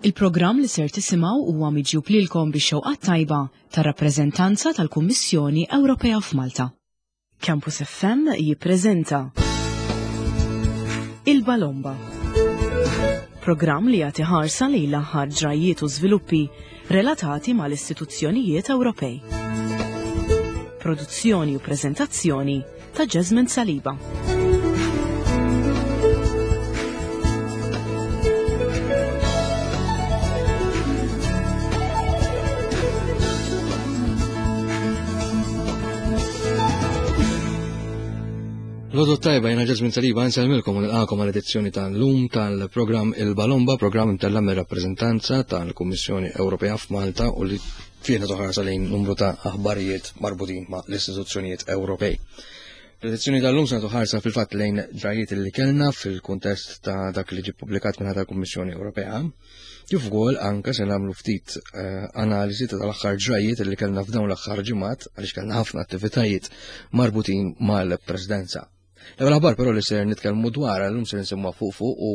Il-programm li ser tisimgħu huwa miġjub lilkom bix-xewqat tajba tar-rappreżentanza tal-Kummissjoni Ewropea f'Malta. Campus FM jippreżenta Il-Balomba. Programm li jagħti ħarsa lejn l-aħħar ġrajjiet u żviluppi relatati mal-istituzzjonijiet Ewropej. Produzzjoni u preżentazzjoni ta' Jasmine Saliba. Lodu tajba jena Jasmine Saliba nselmilkom u nilqakom għal edizzjoni tal-lum tal-programm Il-Balomba, programm imtella mir-rappreżentanza tal-Kummissjoni Ewropea f'Malta u li fih nagħtu ħarsa lejn numru ta' aħbarijiet marbutin ma' l-istituzzjonijiet Ewropej. L-edizzjoni tal-lum se nagħtu ħarsa fil-fatt lejn ġrajiet li kellna fil-kuntest ta' dak li ġie ppubblikat minn tal-Kummissjoni Ewropea. Kif ukoll anke se nagħmlu ftit eh, analiżi ta' tal-aħħar ġrajiet li kellna f'dawn l-aħħar ġimgħat għaliex kellna ħafna attivitajiet marbutin mal-Presidenza. L-ewwel aħbar però li ser nitkellmu dwar llum ser nsemmuha fuq fuq u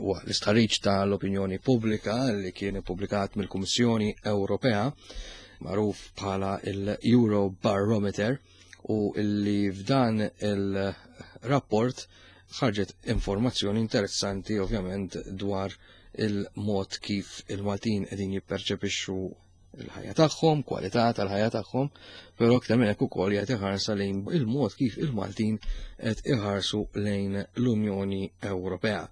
huwa l-istħarriġ tal-opinjoni pubblika li kien ippubblikat mill-Kummissjoni Ewropea magħruf bħala il-Euro Barometer u li f'dan il-rapport ħarġet informazzjoni interessanti ovvjament dwar il-mod kif il-Maltin qegħdin jipperċepixxu il-ħajja tagħhom, kwalità tal-ħajja tagħhom, però aktar minn hekk ukoll jagħti ħarsa lejn il-mod kif il-Maltin qed iħarsu lejn l-Unjoni Ewropea.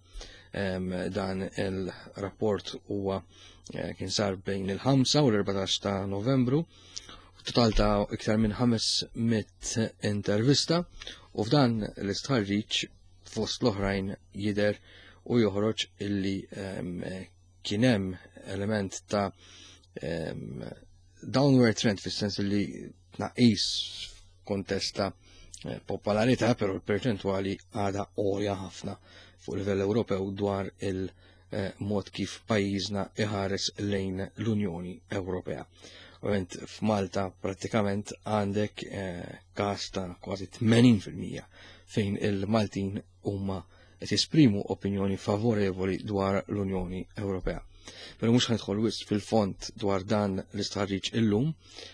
Dan il-rapport huwa eh, kien sar bejn il-5 u l-14 ta' Novembru, total ta' iktar minn 500 intervista u f'dan l-istħarriġ fost l-oħrajn jidher u joħroġ illi kien hemm element ta' downward trend fis-sens li tnaqqis kontest ta' eh, popolarità, però l-perċentwali għada għolja ħafna fuq livell Ewropew dwar il-mod eh, kif pajjiżna iħares lejn l-Unjoni Ewropea. Ovvjament f'Malta prattikament għandek eh, każ ta' kważi 80% fejn il-Maltin huma qed jesprimu opinjoni favorevoli dwar l-Unjoni Ewropea. Pero mhux ħanidħol wisq fil-fond dwar dan l-istħarriġ illum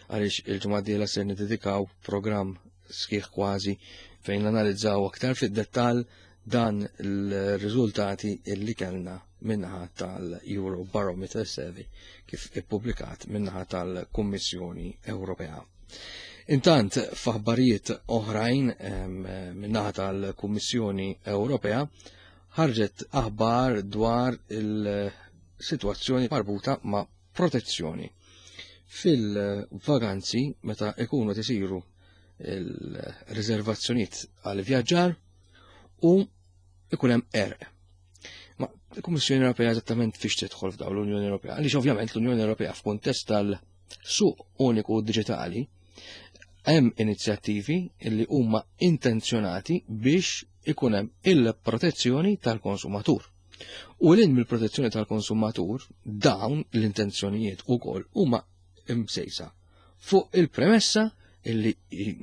għaliex il-ġimgħa d-dieħla ser niddedikaw programm sħiħ kważi fejn nanalizzaw aktar fid-dettall dan l-riżultati illi kellna minnaħa tal-Euro Barometer Survey kif ippubblikat minnaħa tal-Kummissjoni Ewropea. Intant, f'aħbarijiet oħrajn min-naħa tal-Kummissjoni Ewropea ħarġet aħbar dwar il-sitwazzjoni marbuta ma' protezzjoni. Fil-vaganzi meta ikunu tisiru il-riservazzjonijiet għal vjaġġar u ikun hemm erq. Ma l-Kummissjoni Ewropea eżattament fiex tidħol f'dawn l-Unjoni Ewropea? Għaliex ovvjament l-Unjoni Ewropea f'kuntest tal-suq uniku diġitali hemm inizjattivi li huma intenzjonati biex ikun hemm il-protezzjoni tal-konsumatur. U l mill-protezzjoni tal-konsumatur, dawn l-intenzjonijiet ukoll huma imsejsa fuq il-premessa illi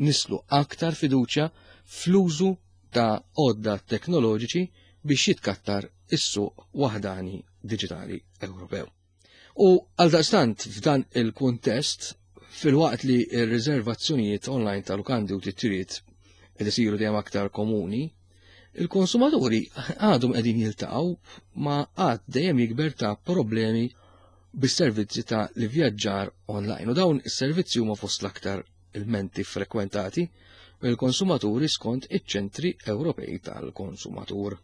nislu aktar fiduċja fl-użu ta' għodda teknoloġiċi biex jitkattar is-suq waħdani diġitali Ewropew. U għaldaqstant f'dan il-kuntest, filwaqt li r-riservazzjonijiet online ta' lukandi u titjiriet qed isiru dejjem aktar komuni, il-konsumaturi għadhom qegħdin jiltaqgħu ma' għadd dejjem jikber ta' problemi bis-servizzi ta' l-ivvjaġġar online. U dawn is-servizzi huma fost l-aktar ilmenti frekwentati mill-konsumaturi skont iċ-ċentri Ewropej tal-konsumatur.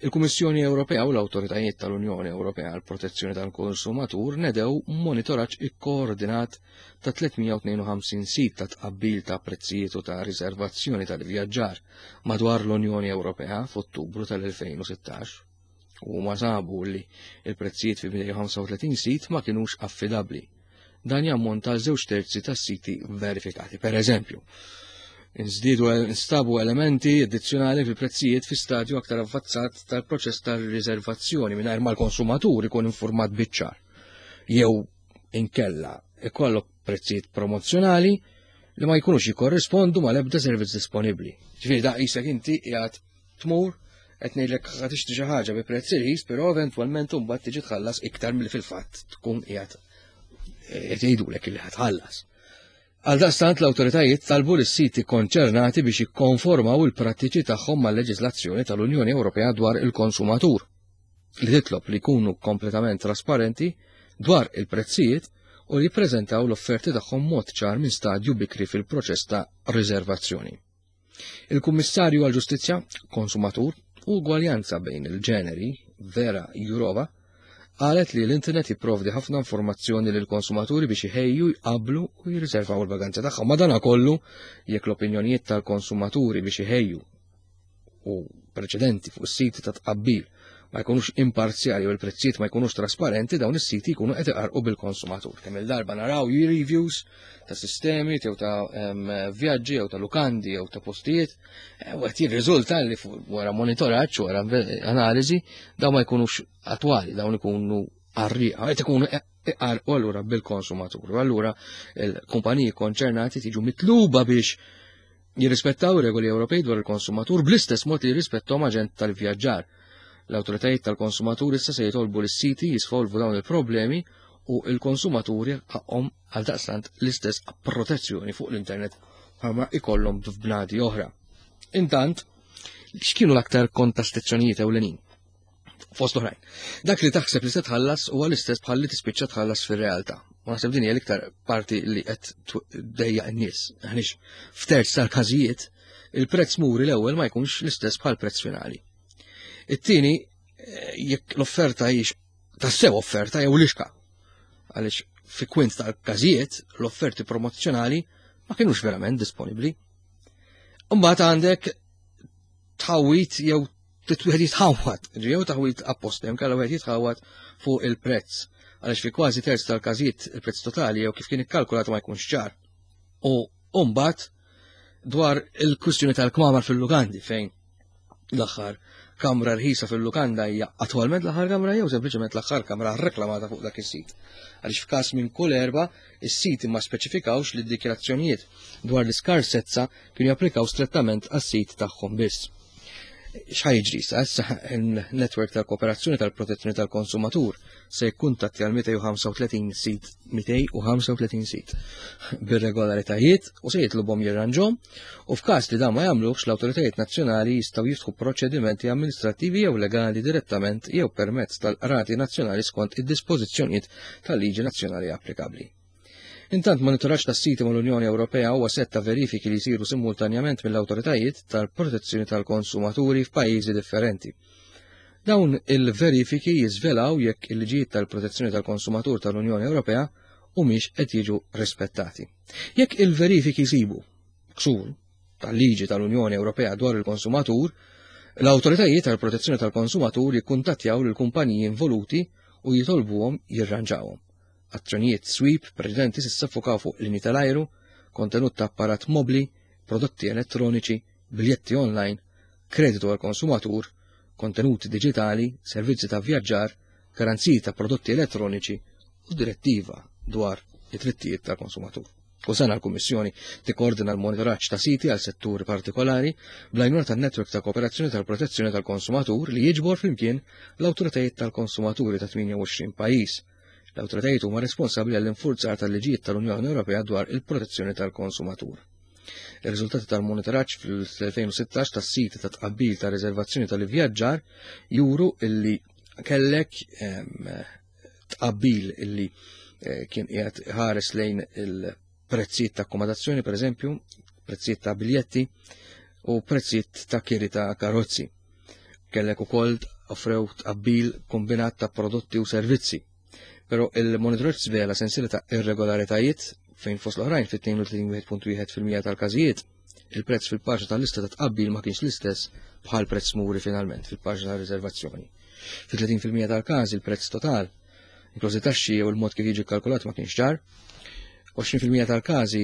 Il-Kummissjoni Ewropea u l-awtoritajiet tal-Unjoni Ewropea għall protezzjoni tal-konsumatur nedew monitoraġġ ikkoordinat ta' 352 sit ta' tqabbil ta' prezzijiet u ta' riservazzjoni tal-vjaġġar madwar l-Unjoni Ewropea f'Ottubru tal-2016. U huma sabu li il-prezzijiet fi 235 sit ma kinux affidabbli. Dan jammonta għal żewġ terzi tas-siti verifikati. Per eżempju, nżdiedu nstabu elementi addizzjonali fil-prezzijiet fi stadju aktar avvazzat tal-proċess tal-riservazzjoni mingħajr ma l-konsumatur ikun informat biċ-ċar. Jew inkella ikollok prezzijiet promozzjonali li ma jkunux jikkorrispondu mal-ebda servizz disponibbli. Ġifieri da qisek inti qiegħed tmur. Qed ngħidlek ħa tixtri xi ħaġa bi prezz irħis, però eventwalment imbagħad tiġi tħallas iktar milli fil-fatt tkun qiegħed qed jgħidulek li ħatħallas. Għaldaqstant l-awtoritajiet talbu lis-siti konċernati biex jikkonformaw il-prattiċi tagħhom mal-leġiżlazzjoni tal-Unjoni Ewropea dwar il-konsumatur, li titlob li jkunu kompletament trasparenti dwar il-prezzijiet u li jippreżentaw l-offerti tagħhom mod ċar minn stadju bikri fil-proċess ta' riservazzjoni. Il-Kummissarju għall-Ġustizzja, Konsumatur u Ugwaljanza bejn il-ġeneri, Vera Jourova, qalet li l-internet jipprovdi ħafna informazzjoni lil konsumaturi biex iħejju, jqablu u jirriservaw il-vaganza tagħhom. Madanakollu, jekk l-opinjonijiet tal-konsumaturi biex iħejju u preċedenti fuq is-siti ta' tqabbil ma jkunux imparzjali u l-prezzijiet ma jkunux trasparenti, dawn is-siti jkunu qed iqarqu bil-konsumatur. Kemm il-darba naraw reviews ta' sistemi jew ta' vjaġġi jew ta' lukandi jew ta' postijiet, e, u qed jirriżulta li wara monitoraġġ wara analiżi dawn ma jkunux attwali, dawn ikunu qarrieqa, qed ikunu iqarqu allura bil-konsumatur. U allura il-kumpaniji konċernati tiġu mitluba biex jirrispettaw regoli Ewropej dwar il-konsumatur bl-istess mod li jirrispettahom aġent tal-vjaġġar. L-awtoritajiet tal-konsumatur issa se jitolbu lis-siti jisfolvu dawn il-problemi u il-konsumaturi ħaqhom għal daqstant l-istess protezzjoni fuq l-internet bħalma ikollhom f'bnadi oħra. Intant, x'kienu l-aktar kontastizzjonijiet ewlenin? Fost oħrajn. Dak li taħseb li se tħallas huwa l-istess bħal li tispiċċa tħallas fir-realtà. Ma naħseb din hija l-iktar parti li qed dejja n-nies. Għaliex f'terz tal-każijiet il-prezz muri l-ewwel ma jkunx l-istess bħal prezz finali. It-tieni eh, jekk l-offerta hijiex tassew offerta jew lixka. Għaliex fi kwint tal-każijiet l-offerti promozzjonali ma kienux verament disponibbli. Imbagħad għandek tħawwit jew wieħed jitħawwad, jew taħwit apposta, jew kellha wieħed jitħawwad fuq il-prezz. Għaliex fi kważi terz tal-każijiet il-prezz totali jew kif kien ikkalkulat ma jkunx ċar. U mbagħad dwar il-kwistjoni tal-kmamar fil-lukandi fejn l-aħħar kamra rħisa fil-lukanda hija attwalment l-aħħar kamra jew sempliċement l-aħħar kamra reklamata fuq dak is-sit. Għaliex f'każ minn kull erba' is-siti ma speċifikawx li d-dikjarazzjonijiet dwar l-iskarsezza kienu japplikaw strettament għas-sit tagħhom biss. X'ħa jiġri issa? Issa il-netwerk tal-kooperazzjoni tal-protezzjoni tal-konsumatur se jikkuntattja l-235 sit 235 sit bir-regolaritajiet u se jitlobhom jirranġhom u f'każ li dan ma jagħmluhx l-awtoritajiet nazzjonali jistgħu jiftħu proċedimenti amministrattivi jew legali direttament jew permezz tal-qrati nazzjonali skont id-dispożizzjonijiet tal-liġi nazzjonali applikabbli. Intant monitoraġġ tas-siti mal-Unjoni Ewropea huwa sett ta' verifiki li jsiru simultanjament mill-awtoritajiet tal-protezzjoni tal-konsumaturi f'pajjiżi differenti. Dawn il-verifiki jiżvelaw jekk il-liġijiet tal-protezzjoni tal-konsumatur tal-Unjoni Ewropea humiex qed jiġu rispettati. Jekk il-verifiki jsibu ksur tal-liġi tal-Unjoni Ewropea dwar il-konsumatur, l-awtoritajiet tal-protezzjoni tal-konsumatur jikkuntattjaw lill-kumpaniji involuti u jitolbuhom jirranġawhom. Azzjonijiet sweep preċedenti s'issa ffukaw fuq linji tal-ajru, kontenut ta' apparat mobbli, prodotti elettroniċi, biljetti online, kreditu għall-konsumatur, kontenuti diġitali, servizzi ta' vjaġġar, garanziji ta' prodotti elettroniċi u direttiva dwar id-drittijiet tal-konsumatur. Kull sena l-Kummissjoni tikkoordina l-monitoraġġ ta' siti għal setturi partikolari bl-għajnuna tan-Netwerk ta' Kooperazzjoni tal-Protezzjoni tal-Konsumatur li jiġbor flimkien l-awtoritajiet tal-konsumaturi ta' 28 pajjiż. L-awtoritajiet huma responsabbli għall-infurzar tal-liġijiet tal-Unjoni Ewropea dwar il-protezzjoni tal-konsumatur. Ir-riżultati tal-monitoraġġ fl-2016 tas-siti ta' tqabbil ta' riservazzjoni tal-ivvjaġġar juru illi kellek tqabbil illi eh, kien qiegħed ħares lejn il-prezzijiet ta' akkomodazzjoni, per eżempju, prezzijiet ta' biljetti u prezzijiet ta' kiri ta' karozzi. Kellek ukoll offrew tqabbil kombinat ta' prodotti u servizzi. Però il-monitoraġġ żvela sensiela ta' irregolaritajiet fejn fost l-oħrajn fit-32.1% tal-każijiet il-prezz fil-paġna tal-lista ta' tqabbil ma kienx l-istess bħal prezz muri finalment fil-paġna ta' riservazzjoni. Fi 30% tal-każi il-prezz total, inklużi taxxi jew il-mod kif jiġi kalkulat ma kienx ċar. 20% tal-każi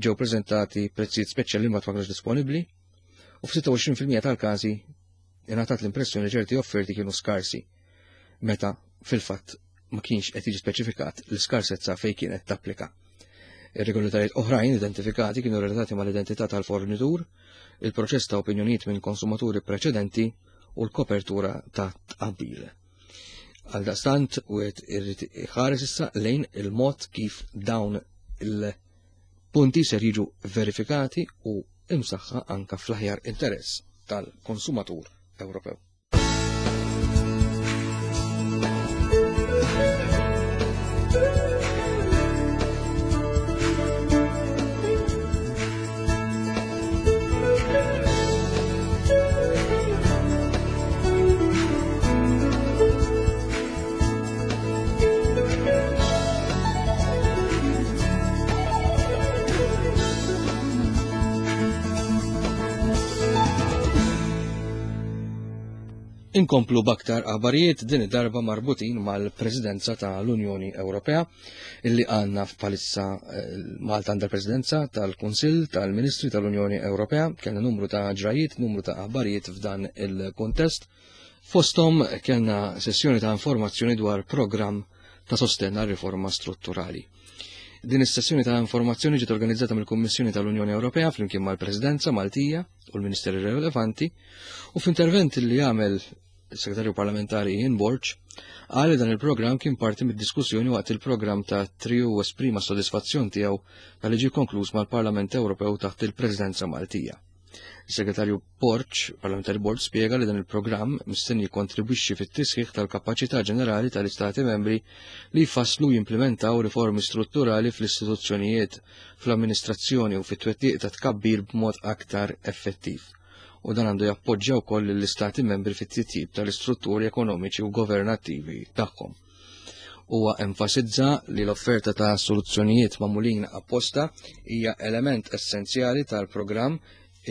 ġew preżentati prezzijiet speċjali ma kienux disponibbli u f'26% tal-każi ingħatat l-impressjoni li ċerti offerti kienu skarsi meta fil-fatt ma kienx qed jiġi speċifikat l-iskarsezza fejn kienet tapplika. Irregolaritajiet oħrajn identifikati kienu relatati mal-identità tal-fornitur, il-proċess ta' opinjonijiet minn konsumaturi preċedenti u l-kopertura ta' tqabbil. Għaldaqstant wieħed irid iħares issa lejn il-mod kif dawn il-punti ser jiġu verifikati u imsaħħa anka fl-aħjar interess tal-konsumatur Ewropew. Inkomplu b'aktar aħbarijiet din id-darba marbutin mal-Presidenza tal-Unjoni Ewropea illi għandna f'palissa eh, Malta għandha presidenza tal-Kunsill tal-Ministri tal-Unjoni Ewropea, kellna numru ta' ġrajiet, numru ta' aħbarijiet f'dan il-kontest. Fosthom kellna sessjoni ta' informazzjoni dwar programm ta' sostenn għal riforma strutturali. Din is-sessjoni ta' informazzjoni ġiet organizzata mill-Kummissjoni tal-Unjoni Ewropea flimkien mal-Presidenza Maltija u l-Ministeri relevanti u f'intervent li għamel il-Segretarju Parlamentari Ian Borg qal li dan il-programm kien parti mid-diskussjoni waqt il-programm ta' trio u esprima sodisfazzjon tiegħu tal-li ġie konkluż mal-Parlament Ewropew taħt il-Presidenza Maltija. Is-Segretarju Borg, Parlamentari Borg, spjega li dan il-programm mistenni jikkontribwixxi fit-tisħiħ tal-kapaċità ġenerali tal-Istati membri li jfasslu u jimplementaw riformi strutturali fl-istituzzjonijiet, fl-amministrazzjoni u fit-twettiq ta' tkabbir b'mod aktar effettiv. U dan għandu jappoġġja wkoll lill-Istati membri fit-titjib tal-istrutturi ekonomiċi u governattivi tagħhom. Huwa enfasizza li l-offerta ta' soluzzjonijiet magħmulin apposta hija element essenzjali tal-programm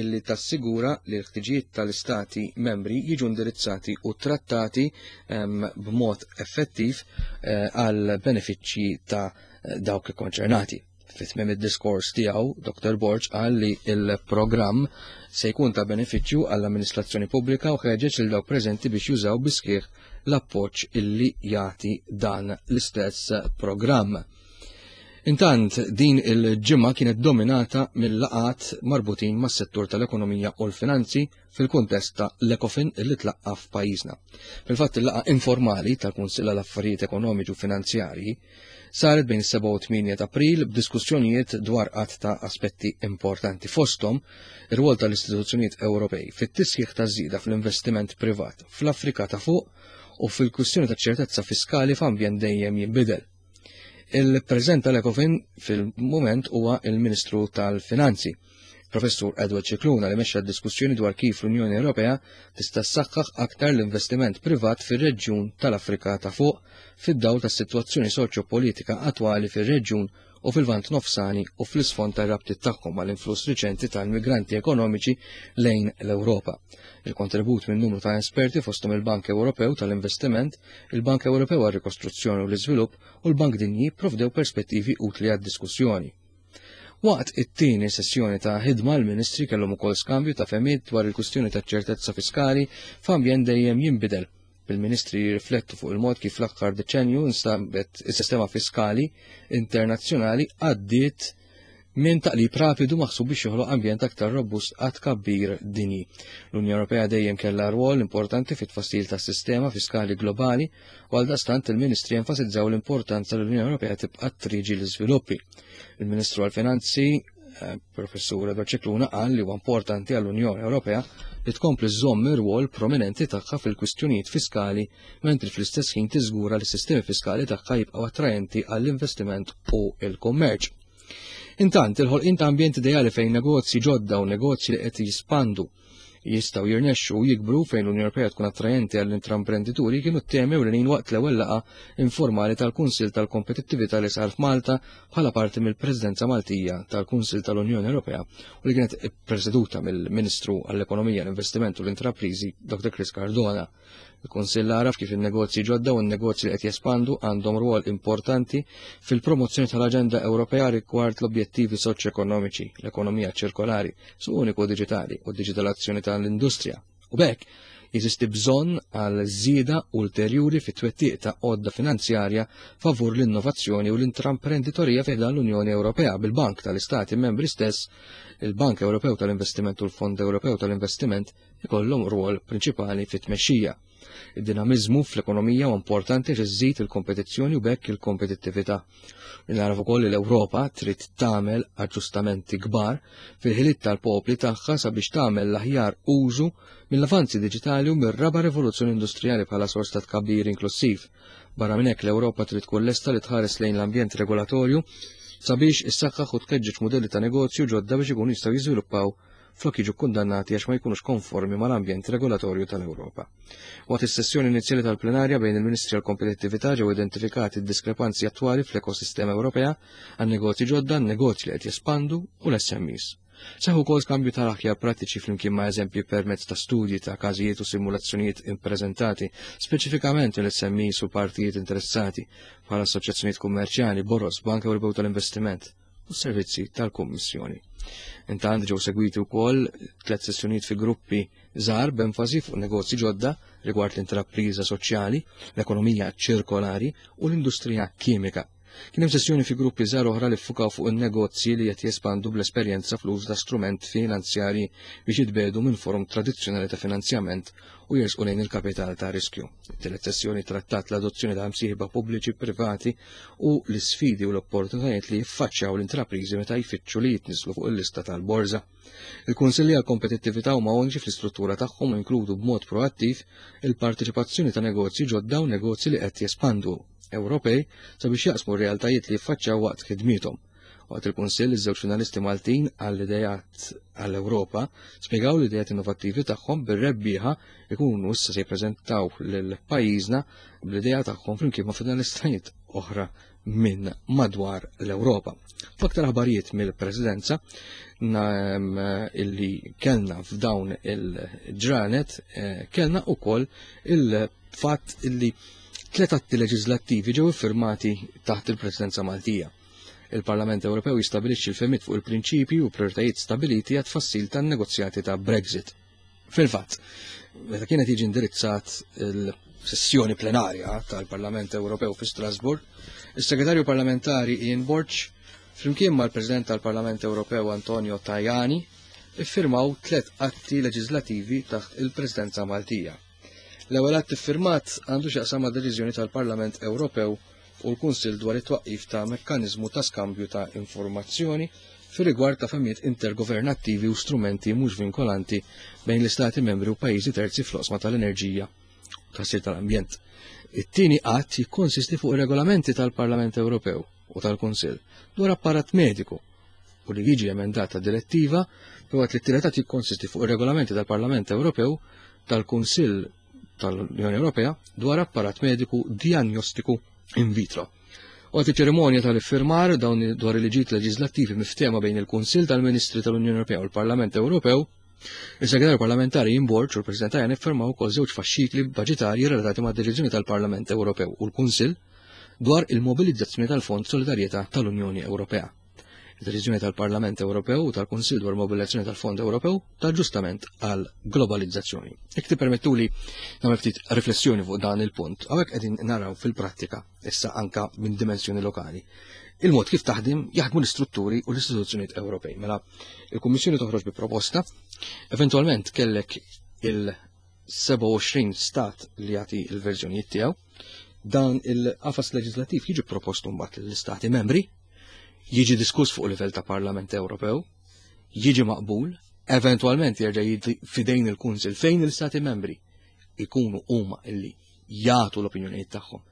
illi tassigura li l-ħtiġijiet tal-istati membri jiġu indirizzati u trattati b'mod effettiv eh, għal benefiċċji ta' dawk ikkonċernati. Fi tmiem id-diskors tiegħu, Dr. Borg qal li il-programm se jkun ta' benefiċċju għall-amministrazzjoni pubblika u ħeġeġ lil dawk preżenti biex jużaw bisħieħ l-appoġġ illi jagħti dan l-istess programm. Intant, din il-ġimgħa kienet dominata mill-laqgħat marbutin mas-settur tal-ekonomija u l-finanzi fil-kuntest ta' l-Ecofin li tlaqqa f'pajjiżna. Fil-fatt il-laqgħa informali tal-Kunsill għal Affarijiet Ekonomiċi u Finanzjarji saret bejn 7 u 8 ta' April b'diskussjonijiet dwar qatt ta' aspetti importanti fosthom ir-rwol tal-istituzzjonijiet Ewropej fit-tisħiħ ta' żieda fl-investiment privat fl-Afrika ta' fuq u fil-kwistjoni ta' ċertezza fiskali f'ambjent dejjem jinbidel. Il-President tal-Ecofin fil-moment huwa il-Ministru tal-Finanzi, Professur Edward Scicluna li mexxa diskussjoni dwar kif l-Unjoni Ewropea tista' ssaħħaħ aktar l-investiment privat fir-reġjun tal-Afrika ta' fuq fid-dawl tas-sitwazzjoni soċjopolitika attwali fir-reġjun u fil-Lvant Nofsani u fl-isfond tar-rabtiet tagħhom mal-influss riċenti tal-migranti ekonomiċi lejn l-Ewropa. Il-kontribut minn numru ta' esperti fosthom il-Bank Ewropew tal-Investiment, il-Bank Ewropew għar-Rikostruzzjoni u l-Iżvilupp u l-Bank Dinji provdew perspettivi utli għad-diskussjoni. Waqt it-tieni sessjoni ta' ħidma l-Ministri kellhom ukoll skambju ta' fehmiet dwar il-kwistjoni ta' ċertezza fiskali f'ambjent dejjem jinbidel bil-ministri jirriflettu fuq il-mod kif l-aħħar deċenju instabet is-sistema fiskali internazzjonali għaddiet minn taqlib rapidu maħsub biex joħloq ambjent aktar robust għat kabbir dinji. L-Unjoni Ewropea dejjem kellha rwol importanti fit-tfassil tas-sistema fiskali globali u għaldaqstant il-Ministri enfasizzaw l-importanza li l-Unjoni Ewropea tibqa' triġi l-iżviluppi. Il-Ministru għall-Finanzi eh, Professur Edward Scicluna qal li huwa importanti għall-Unjoni Ewropea li tkompli żżomm ir-rwol prominenti tagħha fil-kwistjonijiet fiskali mentri fl-istess ħin tiżgura li s-sistemi fiskali tagħha jibqgħu attraenti għall-investiment u l-kummerċ. Intant, il-ħolqien ta' ambjent ideali fejn negozji ġodda u negozji li qed jispandu jistgħu jirnexxu u jikbru fejn l-Unjoni Ewropea tkun attrajenti għall-intraprendituri kienu t-temi ewlenin waqt l-ewwel laqgħa informali tal-Kunsill tal-Kompetittività li sar f'Malta bħala parti mill-Presidenza Maltija tal-Kunsill tal-Unjoni Ewropea u li kienet ippreseduta mill-Ministru għall-Ekonomija, l-Investiment u l-Intrapriżi Dr. Chris Cardona. Il-Kunsill għaraf kif in-negozji ġodda u n-negozji li qed jespandu għandhom rwol importanti fil-promozzjoni tal-Aġenda Ewropea rigward l-objettivi soċjoekonomiċi, l-ekonomija ċirkolari, suq uniku diġitali u d-diġitalazzjoni tal-industrija. U b'hekk Jeżisti bżonn għal żieda ulterjuri fit-twettiq ta' għodda finanzjarja favur l-innovazzjoni u l-intramprenditorija fi ħdan l-Unjoni Ewropea bil-Bank tal-Istati Membri stess, il-Bank Ewropew tal-Investiment u l-Fond Ewropew tal-Investiment ikollhom rwol prinċipali fit-tmexxija. Id-dinamiżmu fl-ekonomija huwa importanti għax iżżid il-kompetizzjoni u b'hekk il-kompetittività. Nagħraf ukoll li l-Ewropa trid tagħmel aġġustamenti kbar fil-ħiliet tal-popli tagħha sabiex tagħmel l-aħjar użu mill-avanzi diġitali u mir-raba' rivoluzzjoni industrijali bħala sors ta' tkabbir inklussiv. Barra minn hekk l-Ewropa trid tkun lesta li tħares lejn l-ambjent regolatorju sabiex issaħħaħ u tkeġġeġ mudelli ta' negozju ġodda biex ikunu jistgħu jiżviluppaw flok jiġu kkundannati għax ma jkunux konformi mal-ambjent regolatorju tal-Ewropa. Waqt is-sessjoni inizjali tal-plenarja bejn il-Ministri għall-Kompetittività ġew identifikati d-diskrepanzi attwali fl-ekosistema Ewropea għan-negozji ġodda, negozji li qed jespandu u l-SMEs. Seħħ ukoll skambju tal-aħjar prattiċi flimkien ma' eżempji permezz ta' studji ta' każijiet u simulazzjonijiet ippreżentati speċifikament mill-SMEs u partijiet interessati bħal assoċjazzjonijiet kummerċjali, boroż, Bank Ewropew tal-Investiment u s-servizzi tal-Kummissjoni. Intant ġew segwiti wkoll tliet sessjonijiet fi gruppi żgħar b'enfasi fuq negozji ġodda rigward l-intrapriża soċjali, l-ekonomija ċirkolari u l-industrija kimika. Kien hemm sessjoni fi gruppi żgħar oħra li ffukaw fuq in-negozji li qed jespandu bl-esperjenza fl-użu ta' strument finanzjarji biex jitbedu minn forom tradizzjonali ta' finanzjament u jersqu lejn il-kapital ta' riskju. It-tielet sessjoni trattat l-adozzjoni ta' msieħba pubbliċi privati u l-isfidi u l-opportunitajiet li jiffaċċjaw l-intrapriżi meta jfittxu li jitniżlu fuq il-lista tal-borża. Il-Kunsilli għall-Kompetittività huma uniċi fl-istruttura tagħhom u jinkludu b'mod proattiv il-parteċipazzjoni ta' negozji ġodda u negozji li qed jespandu Ewropej sabiex jaqsmu r-realtajiet li jiffaċċjaw waqt ħidmiethom. Waqt il-Kunsill, iż-żewġ finalisti Maltin għall-ideat għall-Ewropa spjegaw l-ideat innovattivi tagħhom bir-rebbieħa ikunu issa se jippreżentaw lil pajjiżna bl-idea tagħhom flimkien ma' finalistajiet oħra minn madwar l-Ewropa. F'aktar aħbarijiet mill-Presidenza illi kellna f'dawn il-ġranet eh, kellna ukoll il-fatt illi tlet atti leġislattivi ġew iffirmati taħt il-Presidenza Maltija. Il-Parlament Ewropew jistabilixxi l-fehmiet fuq il-prinċipji u prioritajiet stabiliti għat-tfassil tan-negozjati ta' Brexit. Fil-fatt, meta kienet jiġi indirizzat il-sessjoni plenarja tal-Parlament Ewropew fi Strasbourg, is-Segretarju Parlamentari Ian Borg, flimkien mal-President tal-Parlament Ewropew Antonio Tajani, iffirmaw tlet atti leġislativi taħt il-Presidenza Maltija. L-ewwel att iffirmat għandu x'jaqsam ma' deċiżjoni tal-Parlament Ewropew u l-Kunsill dwar it-twaqqif ta' mekkaniżmu ta' skambju ta' informazzjoni fir-rigward ta' fehmiet intergovernattivi u strumenti mhux vinkolanti bejn l-Istati membri u pajjiżi terzi fl-oqsma tal-enerġija u tħassir tal-ambjent. It-tieni att jikkonsisti fuq ir-regolamenti tal-Parlament Ewropew u tal-Kunsill dwar apparat mediku u li jiġi emendata direttiva filwaqt li t-tielet att jikkonsisti fuq ir-regolamenti tal-Parlament Ewropew tal-Kunsill tal-Unjoni Ewropea dwar apparat mediku diagnostiku in vitro. Waqt iċ-ċerimonja tal-iffirmar dawn dwar il-liġijiet leġislattivi miftehma bejn il-Kunsill tal-Ministri tal-Unjoni Ewropea u l-Parlament Ewropew, is-Segretarju Parlamentari Ian Borg u l-President Tajani ffirmaw ukoll żewġ faxxikli baġitarji relatati mad-deċiżjoni tal-Parlament Ewropew u l-Kunsill dwar il-mobilizzazzjoni tal-Fond Solidarjetà tal-Unjoni Ewropea. Id-deċiżjoni tal-Parlament Ewropew u tal-Kunsill dwar mobilizzazzjoni tal-Fond Ewropew ta' ġustament għal globalizzazzjoni. Jekk tippermettuli nagħmel ftit riflessjoni fuq dan il-punt, hawnhekk qegħdin naraw fil-prattika issa anka minn dimensjoni lokali. Il-mod kif taħdem jaħdmu l-istrutturi u l-istituzzjonijiet Ewropej. Mela, il-Kummissjoni toħroġ bi proposta, eventwalment kellek il-27 stat li jagħti l-verżjonijiet tiegħu, dan il-qafas leġislattiv jiġi propost mbagħad lill-istati membri jiġi diskuss fuq livell ta' Parlament Ewropew, jiġi maqbul, eventwalment jerġa' jiġi fidejn il-Kunsil fejn il-Stati membri ikunu huma illi jagħtu l-opinjonijiet tagħhom,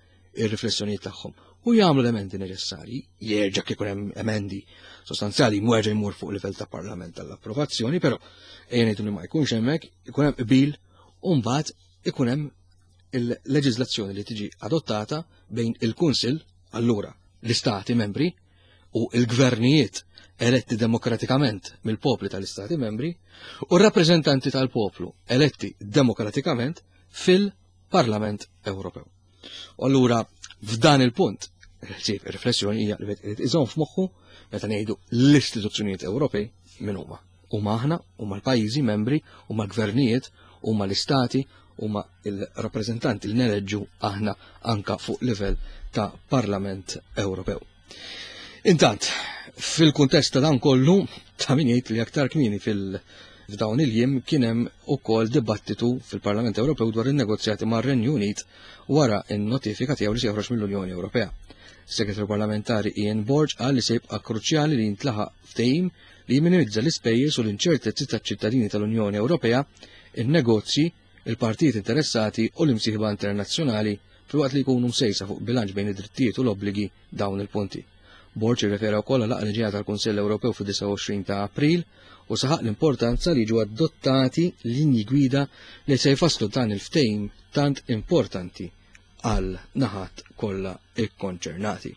ir-riflessjonijiet tagħhom u jagħmlu l-emendi neċessarji, jerġa' kif hemm emendi sostanzjali jerġa' jmur fuq livell ta' Parlament tal-approvazzjoni, però ejja ngħidu li ma jkunx hemmhekk, ikun hemm qbil u mbagħad ikun hemm il-leġiżlazzjoni li tiġi adottata bejn il-Kunsill allura l-istati membri u l-gvernijiet eletti demokratikament mill-popli tal-istati membri u r-rappreżentanti tal-poplu eletti demokratikament fil-Parlament Ewropew. U allura f'dan il-punt, riflessjoni hija li irid iżomm f'moħħu meta ngħidu l-istituzzjonijiet Ewropej min huma. Huma aħna, huma l-pajjiżi membri, huma l-gvernijiet, huma l-istati, huma il-rappreżentanti li neleġġu aħna anka fuq livell ta' Parlament Ewropew. Intant, fil-kuntest ta' dan kollu, ta' min jgħid li aktar kmieni fil- f'dawn il-jiem kien hemm ukoll dibattitu fil-Parlament Ewropew dwar in-negozjati mar-Renju Unit wara n-notifika tiegħu li se joħroġ mill-Unjoni Ewropea. Segretarju Parlamentari Ian Borg qal li se jibqa' kruċjali li jintlaħaq ftehim li jminimizza l-ispejjeż u l-inċertezzi taċ-ċittadini tal-Unjoni Ewropea, in-negozji, il-partijiet interessati u l-imsieħba internazzjonali filwaqt li jkunu msejsa fuq bilanċ bejn id-drittijiet u l-obbligi dawn il-punti. Borg irrefera wkoll għal laqgħa li ġejja tal-Kunsill Ewropew fid-29 ta' April u saħaq l-importanza li jiġu adottati linji gwida li se jfasslu dan il-ftehim tant importanti għal naħat kollha ikkonċernati.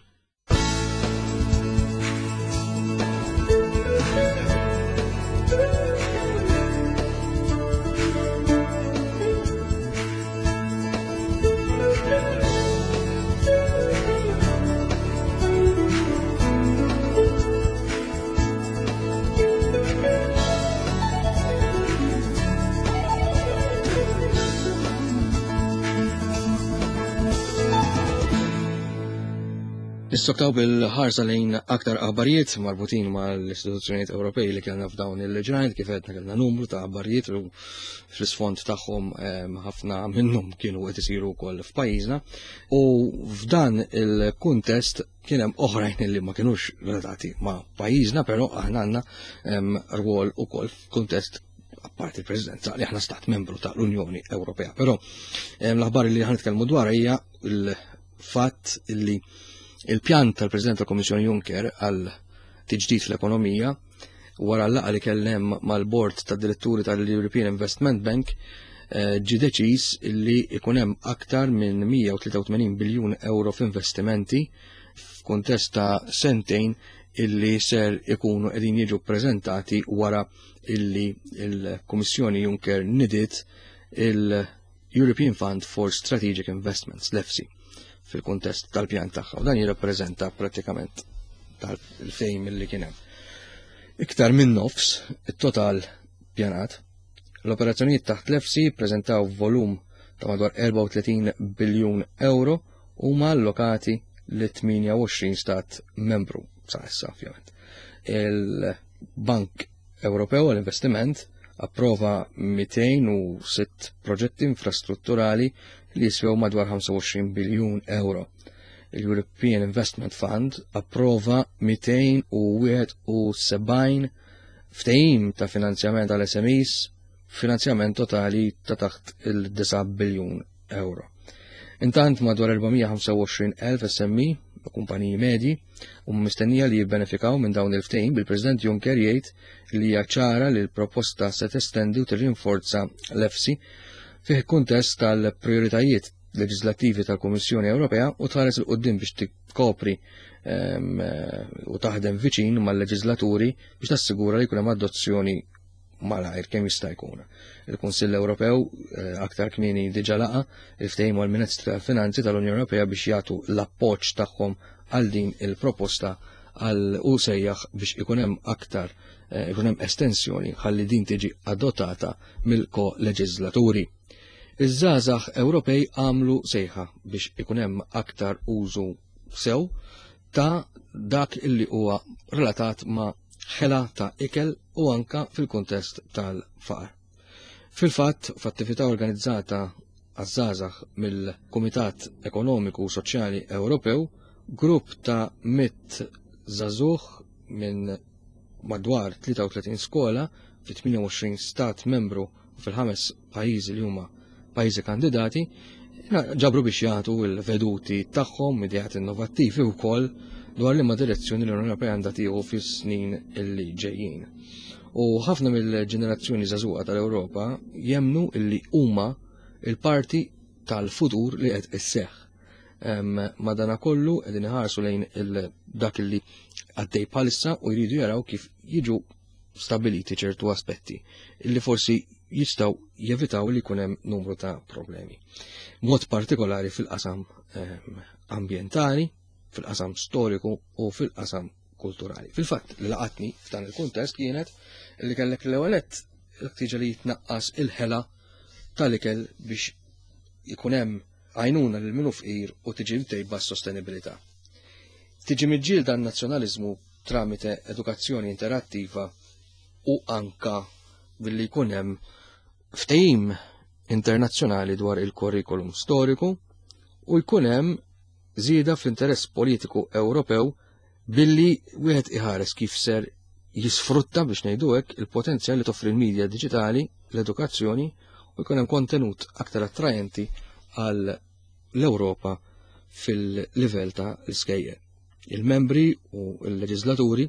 Nissoktaw bil-ħarsa lejn aktar aħbarijiet marbutin mal-istituzzjonijiet Ewropej li kellna f'dawn il-ġranet kif għedna kellna numru ta' aħbarijiet u fl-isfond tagħhom ehm, ħafna minnhom kienu qed isiru wkoll f'pajjiżna u f'dan il-kuntest kien hemm oħrajn li ma kinux relatati ma' pajjiżna, però aħna għandna ehm, rwol ukoll f'kuntest apparti il-Presidenza li aħna stat membru tal-Unjoni Ewropea. Però ehm, l-aħbar li ħan nitkellmu dwar hija l-fatt li il-pjan tal-President tal-Kommissjoni Juncker għal tiġdid fl-ekonomija wara l-laqgħa li kellem mal-bord tad diretturi tal-European Investment Bank eh, ġi deċiż li ikun hemm aktar minn 183 biljun euro f'investimenti f'kuntest ta' sentejn illi ser ikunu qegħdin jiġu ppreżentati wara illi il-Kummissjoni Juncker nidiet il- European Fund for Strategic Investments, l-EFSI, fil-kuntest tal-pjan tagħha. U dan jirrappreżenta prattikament tal-fejm li kien hemm. Iktar minn nofs it-total pjanat. L-operazzjonijiet taħt l-EFSI ppreżentaw volum ta' madwar 34 biljun euro huma allokati li 28 stat membru sa issa ovvjament. Il-Bank Ewropew għall-Investiment approva 206 proġetti infrastrutturali li jiswew madwar 25 biljun euro. Il-European Investment Fund approva 271 ftehim ta' finanzjament għal SMEs finanzjament totali ta' taħt il-9 biljun euro. Intant madwar 425,000 SME, kumpaniji medji, u mistennija li jibbenefikaw minn dawn il-ftehim bil-President Juncker jgħid li hija ċara li l-proposta se testendi u tirrinforza l-EFSI fih kuntest tal-prioritajiet leġislattivi tal-Kummissjoni Ewropea u tħares il qudiem biex tikkopri ehm, u taħdem viċin mal-leġislaturi biex tassigura li jkun hemm adozzjoni malajr kemm jista' jkun. Il-Kunsill Ewropew eh, aktar kmieni diġà laqa il-ftehim mal-Ministri tal-Finanzi tal-Unjoni Ewropea biex jagħtu l-appoġġ tagħhom għal din il-proposta għal u sejjaħ biex ikun hemm aktar eh, ikun hemm estensjoni ħalli din tiġi adottata mill-ko-leġislaturi. Iż-żgħażagħ Ewropej għamlu sejħa biex ikun hemm aktar użu sew ta' dak illi huwa relatat ma' ħela ta' ikel u anka fil-kuntest tal-faqar. Fil-fatt, f'attività organizzata għaż-żgħażagħ mill-Kumitat Ekonomiku u Soċjali Ewropew, grupp ta' mit żagħżugħ minn madwar 33 skola fi 28 stat membru u fil-ħames pajjiżi li huma pajjiżi kandidati, ġabru biex jagħtu l-veduti tagħhom, ideat innovattivi wkoll dwar liema direzzjoni l-Unjoni Ewropea għandha tieħu fis-snin illi ġejjin. U ħafna mill-ġenerazzjoni żagħżugħa tal-Ewropa jemnu illi huma il-parti tal-futur li qed isseħħ. Madanakollu qegħdin iħarsu lejn dak li għaddej bħalissa u jridu jaraw kif jiġu stabiliti ċertu aspetti li forsi jistaw jevitaw li jkun hemm numru ta' problemi. Mod partikolari fil-qasam ehm, ambientali, fil-qasam storiku u fil-qasam kulturali. Fil-fatt li laqatni f'dan il-kuntest kienet li kellek l-ewwel l-ħtieġa li jitnaqqas il-ħela tal-ikel biex ikun hemm għajnuna lil min hu fqir u tiġi mtejba s-sostenibilità. Tiġi miġġielda n-nazzjonaliżmu tramite edukazzjoni interattiva u anka billi jkun hemm ftehim internazzjonali dwar il-kurrikulum storiku u jkun hemm żieda fl-interess politiku Ewropew billi wieħed iħares kif ser jisfrutta biex ngħidu hekk il-potenzjal li toffri l-medja diġitali, l-edukazzjoni u jkun hemm kontenut aktar attrajenti għal l-Ewropa fil-livell ta' l-iskejjel. Il-membri u l-leġislaturi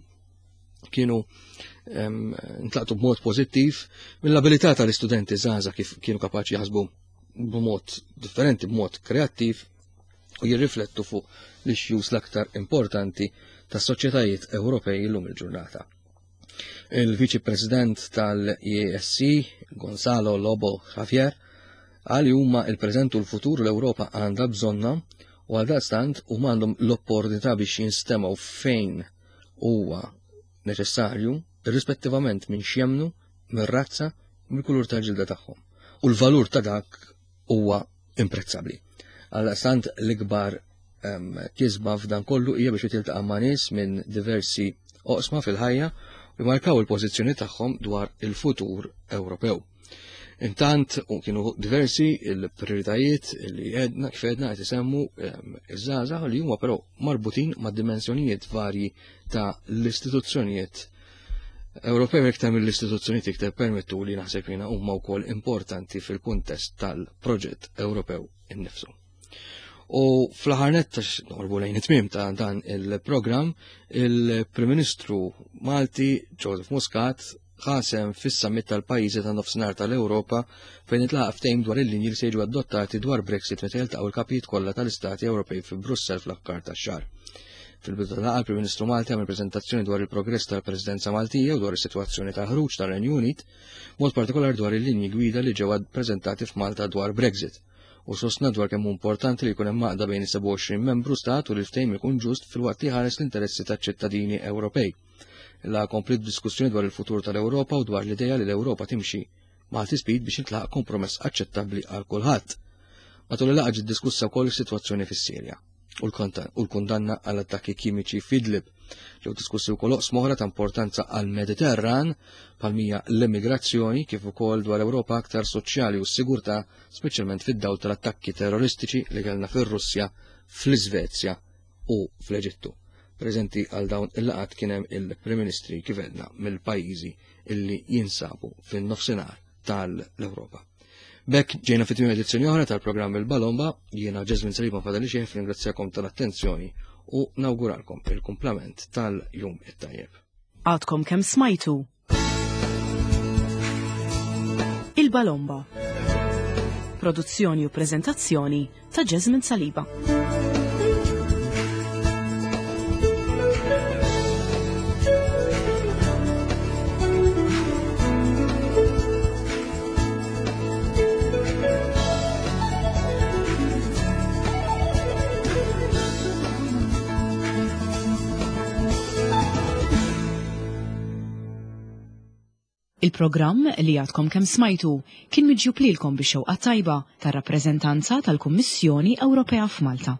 kienu ntlaqtu b'mod pożittiv mill-abilità tal-istudenti żgħażagħ kif kienu kapaċi jaħsbu b'mod differenti, b'mod kreattiv u jirriflettu fuq l-issues l-aktar importanti tas soċjetajiet Ewropej illum il-ġurnata. Il-Viċi President tal-ESC, Gonzalo Lobo Javier, qal li huma il-preżent u l-futur l-Ewropa għandha bżonna u għal daqstant huma għandhom l-opportunità biex jinstemgħu fejn huwa neċessarju, irrispettivament minn x'jemnu, mir-razza, mill-kulur tal-ġilda tagħhom. U l-valur ta' dak huwa imprezzabbli. Għaldaqstant l-ikbar kisba f'dan kollu hija biex tiltaqa' ma' nies minn diversi oqsma fil-ħajja u jmarkaw il-pożizzjoni tagħhom dwar il-futur Ewropew. Intant u kienu diversi il-prioritajiet li għedna kif għedna qed isemmu iż-żgħażagħ li huma però marbutin ma' dimensjonijiet varji ta' l-istituzzjonijiet Ewropew iktar mill-istituzzjonijiet iktar permettu li naħseb jiena huma wkoll importanti fil-kuntest tal-proġett Ewropew innifsu. U fl-aħħar nett norbu lejn it-tmiem ta' dan il-programm, il-Prim Ministru Malti Joseph Muscat ħasem fis-summit tal-pajjiżi ta' nofsinhar tal-Ewropa fejn itlaq ftehim dwar il-linji li se jiġu adottati dwar Brexit meta jiltaqgħu l-kapijiet kollha tal-istati Ewropej fi Brussell fl-aħħar tax-xahar. Fil-bidu tal-laqgħa l-Prim Ministru Malti għamel preżentazzjoni dwar il-progress tal-Presidenza Maltija u dwar is-sitwazzjoni tal-ħruġ tar-Renju Unit, mod partikolari dwar il-linji gwida li ġew preżentati f'Malta dwar Brexit u sostna dwar kemm hu importanti li jkun hemm għaqda bejn is-27 membru stat u li l-ftehim ikun ġust filwaqt li jħares l-interessi taċ-ċittadini Ewropej. La kompliet diskussjoni dwar il-futur tal-Ewropa u dwar l-idea li l-Ewropa timxi Malti Speed biex jintlaħaq kompromess aċċettabbli għal kulħadd. Matul il-laqgħa ġiet diskussa wkoll is-sitwazzjoni fis-Sirja u l-kundanna għal attakki kimiċi f'Idlib. Ġew diskussi wkoll oqsma oħra ta' importanza għal Mediterran palmija l-immigrazzjoni kif ukoll dwar Ewropa aktar soċjali u s-sigurtà, speċjalment fid-dawl tal-attakki terroristiċi li kellna fir-Russja, fl-Iżvezja u fl-Eġittu. Preżenti għal dawn il-laqgħat kien hemm il-Prim Ministri kif għedna mill-pajjiżi illi jinsabu fin-nofsinhar tal-Ewropa. Bekk ġejna fit edizzjoni oħra tal-programm Il-Balomba, jiena Ġesmin Saliba fadali xejn ringrazzjakom tal-attenzjoni u nawguralkom il-kumplament tal-jum it-tajjeb. Għadkom kemm smajtu Il-Balomba. Produzzjoni u prezentazzjoni ta' Jasmine Saliba. Il-programm li għadkom kemm smajtu kien miġjub lilkom bix-xewqa tajba tar-rappreżentanza tal-Kummissjoni Ewropea f'Malta.